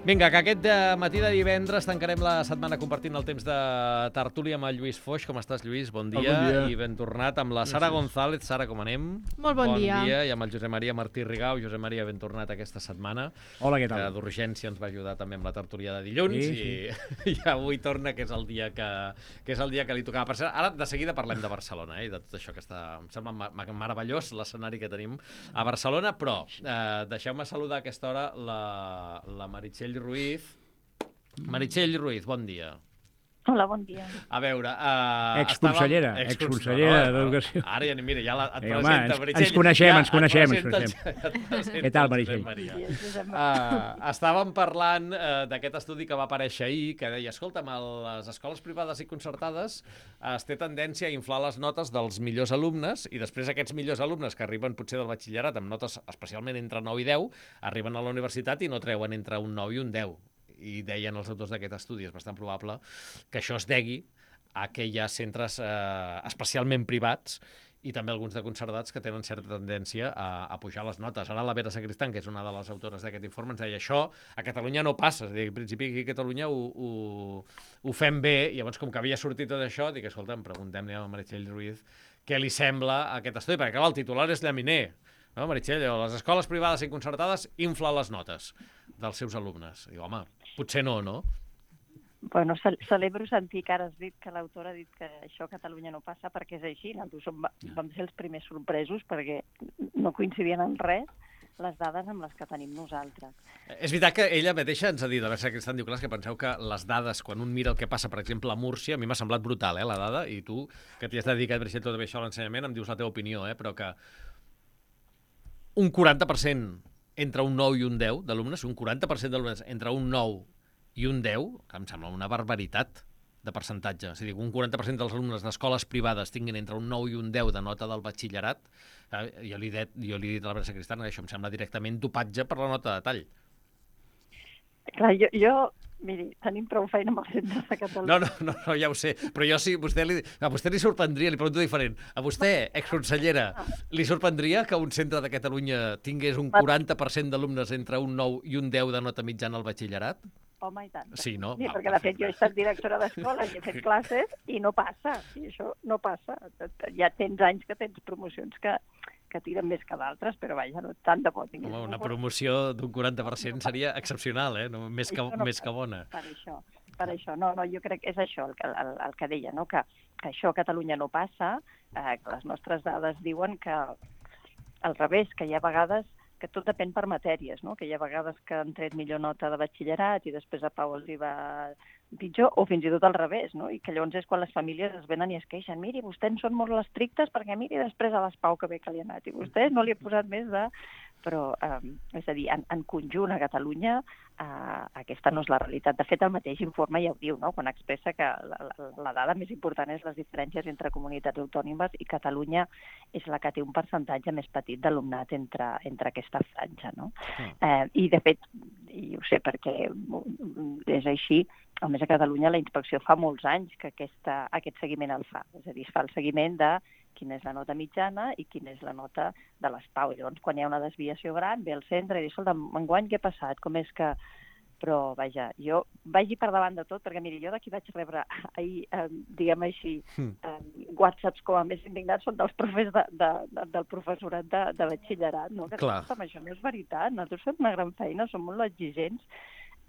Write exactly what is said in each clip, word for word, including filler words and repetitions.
Vinga, que aquest de matí de divendres tancarem la setmana compartint el temps de tertúlia amb el Lluís Foix. Com estàs, Lluís? Bon dia. Oh, bon dia. I ben tornat amb la Sara González. Sara, com anem? Molt bon, bon dia. dia. I amb el Josep Maria Martí Rigau. Josep Maria, ben tornat aquesta setmana. Hola, què tal? Que d'urgència ens va ajudar també amb la tertúlia de dilluns. Sí, i, sí. I avui torna, que és el dia que, que, és el dia que li tocava. Per cert, ara de seguida parlem de Barcelona, eh, i de tot això que està... Em sembla meravellós l'escenari que tenim a Barcelona, però eh, deixeu-me saludar a aquesta hora la, la Meritxell Ruiz. Meritxell Ruiz, bon dia. Hola, bon dia. A veure... Uh, exconsellera, exconsellera d'Educació. Ara ja, mira, ja la, et Ei, presenta, home, Meritxell. ens coneixem, ja ens coneixem, ens coneixem. Què tal, Meritxell? Uh, estàvem parlant uh, d'aquest estudi que va aparèixer ahir, que deia, escolta'm, a les escoles privades i concertades uh, es té tendència a inflar les notes dels millors alumnes, i després aquests millors alumnes que arriben potser del batxillerat amb notes especialment entre nou i deu, arriben a la universitat i no treuen entre un nou i un deu. I deien els autors d'aquest estudi, és bastant probable que això es degui a que hi ha centres eh, especialment privats i també alguns de concertats que tenen certa tendència a, a pujar les notes. Ara la Vera Sacristán, que és una de les autores d'aquest informe, ens deia això a Catalunya no passa. És a dir, en principi aquí a Catalunya ho, ho, ho fem bé, i llavors com que havia sortit tot això, dic, escolta, em preguntem-li a Meritxell Ruiz què li sembla aquest estudi, perquè clar, el titular és llaminer. No, Meritxell, les escoles privades i concertades inflen les notes dels seus alumnes. Diu, home, potser no, no? Bueno, celebro sentir que ara has dit que l'autor ha dit que això a Catalunya no passa, perquè és així. Nosaltres som, vam ser els primers sorpresos perquè no coincidien en res les dades amb les que tenim nosaltres. És veritat que ella mateixa ens ha dit, a veure, Cristian diu, clar, que penseu que les dades, quan un mira el que passa, per exemple, a Múrcia, a mi m'ha semblat brutal, eh, la dada, i tu, que t'hi has dedicat, Meritxell, tot això a l'ensenyament, em dius la teva opinió, eh, però que un quaranta per cent entre un nou i un deu d'alumnes, un quaranta per cent d'alumnes entre un nou i un deu, que em sembla una barbaritat de percentatge. És a dir, un quaranta per cent dels alumnes d'escoles privades tinguin entre un nou i un deu de nota del batxillerat, eh, jo, li he dit, jo li he dit a la Vera Sacristán que això em sembla directament dopatge per la nota de tall. Clar, jo, jo miri, tenim prou feina amb els centres de Catalunya. No, no, no, no, ja ho sé, però jo sí, vostè li, a vostè li sorprendria, li pregunto diferent, a vostè, exconsellera, li sorprendria que un centre de Catalunya tingués un quaranta per cent d'alumnes entre un nou i un deu de nota mitjana al batxillerat? Home, i tant. Sí, no? Sí, Val, perquè de fet perfecte. jo he estat directora d'escola i he fet classes i no passa, i això no passa. Ja tens anys que tens promocions que, que tiren més que d'altres, però vaja, no tant de bo tingués. Home, una promoció d'un quaranta per cent seria excepcional, eh? No, més, que, no més que bona. Per això, per això. No, no, jo crec que és això el que, el, el que deia, no? que, que això a Catalunya no passa, eh, que les nostres dades diuen que al revés, que hi ha vegades que tot depèn per matèries, no? Que hi ha vegades que han tret millor nota de batxillerat i després a Pau els hi va pitjor, o fins i tot al revés, no? I que llavors és quan les famílies es venen i es queixen, miri, vostès són molt estrictes perquè miri després a les Pau que bé que li ha anat, i vostès no li ha posat més de... Però, eh, és a dir, en, en conjunt a Catalunya eh, aquesta no és la realitat. De fet, el mateix informe ja ho diu, no? Quan expressa que la, la, la dada més important és les diferències entre comunitats autònomes i Catalunya és la que té un percentatge més petit d'alumnat entre, entre aquesta franja, no? Mm. Eh, I, de fet, i ho sé perquè és així, a més a Catalunya la inspecció fa molts anys que aquesta, aquest seguiment el fa. És a dir, es fa el seguiment de quina és la nota mitjana i quina és la nota de les Pau. Llavors, quan hi ha una desviació gran, ve al centre i diu, escolta, enguany què ha passat? Com és que... Però, vaja, jo vagi per davant de tot, perquè, miri, jo d'aquí vaig rebre ahir, eh, diguem així, eh, whatsapps com a més indignats són dels profes de, de, de, del professorat de, de batxillerat, no? Que, escolta, això no és veritat, nosaltres fem una gran feina, som molt exigents,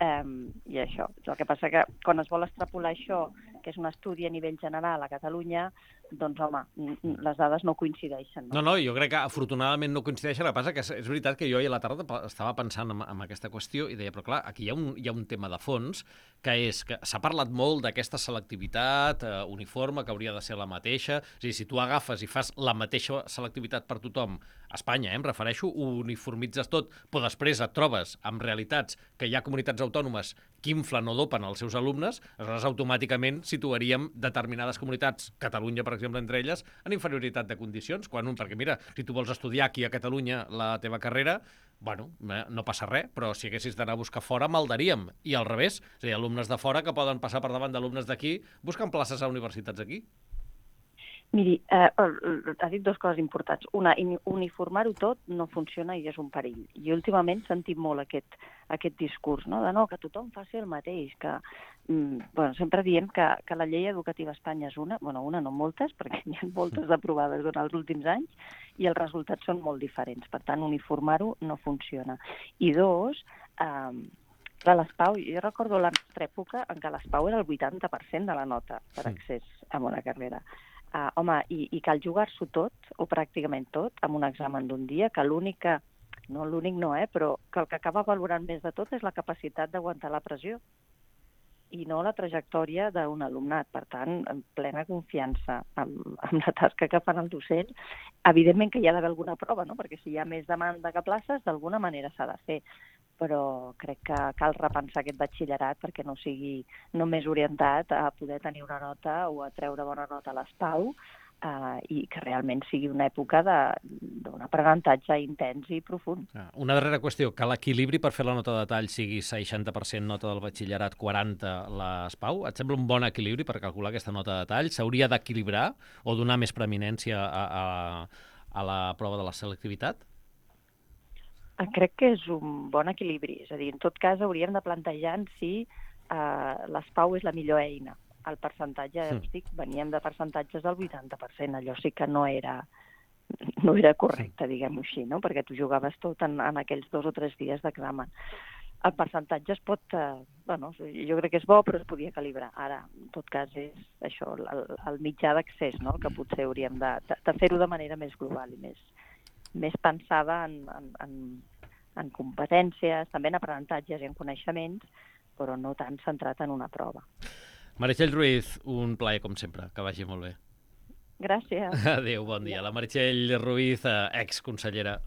Um, i això. El que passa que quan es vol extrapolar això, que és un estudi a nivell general a Catalunya, doncs, home, les dades no coincideixen. No, no, no jo crec que afortunadament no coincideixen. El que passa que és veritat que jo ahir a la tarda estava pensant en, en aquesta qüestió i deia, però clar, aquí hi ha un, hi ha un tema de fons, que és que s'ha parlat molt d'aquesta selectivitat eh, uniforme, que hauria de ser la mateixa. És a dir, si tu agafes i fas la mateixa selectivitat per tothom, a Espanya, eh, em refereixo, ho uniformitzes tot, però després et trobes amb realitats que hi ha comunitats autònomes que inflen o dopen els seus alumnes, aleshores automàticament situaríem determinades comunitats, Catalunya, per exemple, entre elles, en inferioritat de condicions, quan un, perquè mira, si tu vols estudiar aquí a Catalunya la teva carrera, bueno, no passa res, però si haguessis d'anar a buscar fora, maldaríem. I al revés, és a dir, alumnes de fora que poden passar per davant d'alumnes d'aquí buscant places a universitats aquí. Miri, eh, ha dit dues coses importants. Una, uniformar-ho tot no funciona i és un perill. I últimament sentim molt aquest, aquest discurs, no? De no, que tothom faci el mateix, que mm, bueno, sempre diem que, que la llei educativa a Espanya és una, bueno, una no moltes, perquè n'hi ha moltes aprovades durant els últims anys, i els resultats són molt diferents. Per tant, uniformar-ho no funciona. I dos, eh, clar, les Pau, jo recordo la nostra època en què les Pau era el vuitanta per cent de la nota per accés a una carrera. Uh, home, i, i cal jugar-s'ho tot, o pràcticament tot, amb un examen d'un dia, que l'únic que, no l'únic no, eh, però que el que acaba valorant més de tot és la capacitat d'aguantar la pressió i no la trajectòria d'un alumnat. Per tant, en plena confiança amb, amb la tasca que fan els docents. Evidentment que hi ha d'haver alguna prova, no? Perquè si hi ha més demanda que places, d'alguna manera s'ha de fer. Però crec que cal repensar aquest batxillerat perquè no sigui només orientat a poder tenir una nota o a treure bona nota a les Pau, eh, i que realment sigui una època d'un aprenentatge intens i profund. Una darrera qüestió, que l'equilibri per fer la nota de tall sigui seixanta per cent nota del batxillerat, quaranta les Pau, et sembla un bon equilibri per calcular aquesta nota de tall? S'hauria d'equilibrar o donar més preeminència a, a, a la prova de la selectivitat? Crec que és un bon equilibri. És a dir, en tot cas, hauríem de plantejar si eh, les Pau és la millor eina. El percentatge, ja us dic, veníem de percentatges del vuitanta per cent. Allò sí que no era, no era correcte, diguem-ho així, no? Perquè tu jugaves tot en, en aquells dos o tres dies d'examen. El percentatge es pot... Eh, bueno, jo crec que és bo, però es podia calibrar. Ara, en tot cas, és això, el, el mitjà d'accés, no? Que potser hauríem de, de, de fer-ho de manera més global i més, més pensada en, en, en, en competències, també en aprenentatges i en coneixements, però no tan centrat en una prova. Meritxell Ruiz, un plaer com sempre, que vagi molt bé. Gràcies. Adéu, bon dia. La Meritxell Ruiz, exconsellera